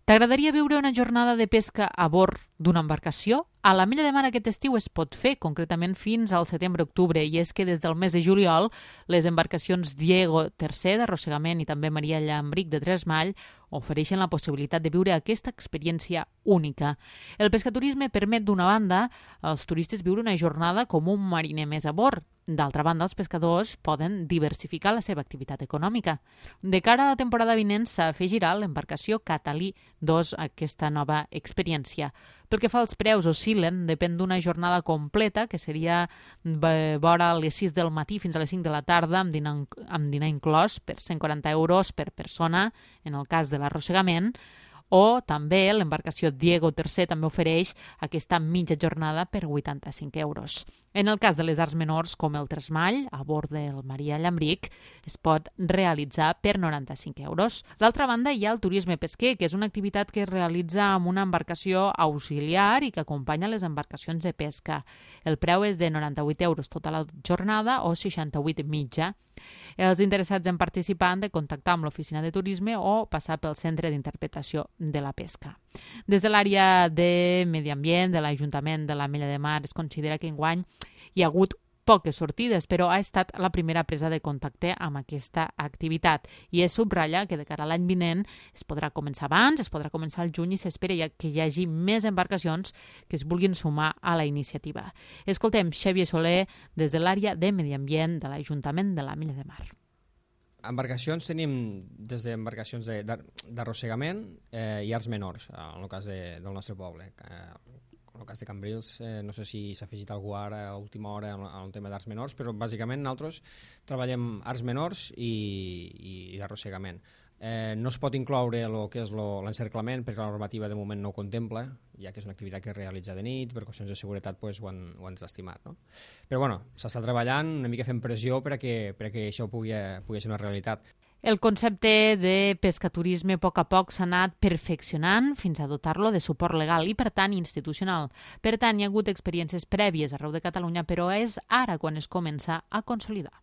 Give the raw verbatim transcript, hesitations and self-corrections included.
T'agradaria viure una jornada de pesca a bord d'una embarcació? A l'Ametlla de Mar aquest estiu es pot fer, concretament fins al setembre-octubre, i és que des del mes de juliol les embarcacions Diego tercer d'arrossegament i també Maria Llambric de Tresmall ofereixen la possibilitat de viure aquesta experiència única. El pescaturisme permet, d'una banda, als turistes viure una jornada com un mariner més a bord. D'altra banda, els pescadors poden diversificar la seva activitat econòmica. De cara a la temporada vinent s'afegirà l'embarcació Catalí dos a aquesta nova experiència. Pel que fa als preus, oscil·len, depèn d'una jornada completa, que seria vora a les sis del matí fins a les cinc de la tarda, amb dinar, amb dinar inclòs, per cent quaranta euros per persona, en el cas de l'arrossegament, o també l'embarcació Diego tercer també ofereix aquesta mitja jornada per vuitanta-cinc euros. En el cas de les arts menors, com el tresmall, a bord del Maria Llambric, es pot realitzar per noranta-cinc euros. D'altra banda, hi ha el turisme pesquer, que és una activitat que es realitza amb una embarcació auxiliar i que acompanya les embarcacions de pesca. El preu és de noranta-vuit euros tota la jornada o seixanta-vuit mitja. Els interessats en participar han de contactar amb l'oficina de turisme o passar pel centre d'interpretació de la pesca. Des de l'àrea de Medi Ambient de l'Ajuntament de l'Ametlla de Mar es considera que enguany hi ha hagut poques sortides, però ha estat la primera presa de contacte amb aquesta activitat i es subratlla que de cara a l'any vinent es podrà començar abans, es podrà començar al juny i s'espera que hi hagi més embarcacions que es vulguin sumar a la iniciativa. Escoltem Xavier Soler des de l'àrea de Medi Ambient de l'Ajuntament de l'Ametlla de Mar. Embarcacions tenim des d'embarcacions d'arrossegament eh, i arts menors, en el cas de, del nostre poble. Eh, en el cas de Cambrils, eh, no sé si s'ha afegit algú ara a última hora en el tema d'arts menors, però bàsicament nosaltres treballem arts menors i, i, i arrossegament. Eh, no es pot incloure el que és l'encerclament perquè la normativa de moment no ho contempla, ja que és una activitat que es realitza de nit, per qüestions de seguretat pues, ho, han, ho han estimat. No? Però bueno, s'està treballant, una mica fent pressió perquè, perquè això pugui, pugui ser una realitat. El concepte de pescaturisme a poc a poc s'ha anat perfeccionant fins a dotar-lo de suport legal i, per tant, institucional. Per tant, hi ha hagut experiències prèvies arreu de Catalunya, però és ara quan es comença a consolidar.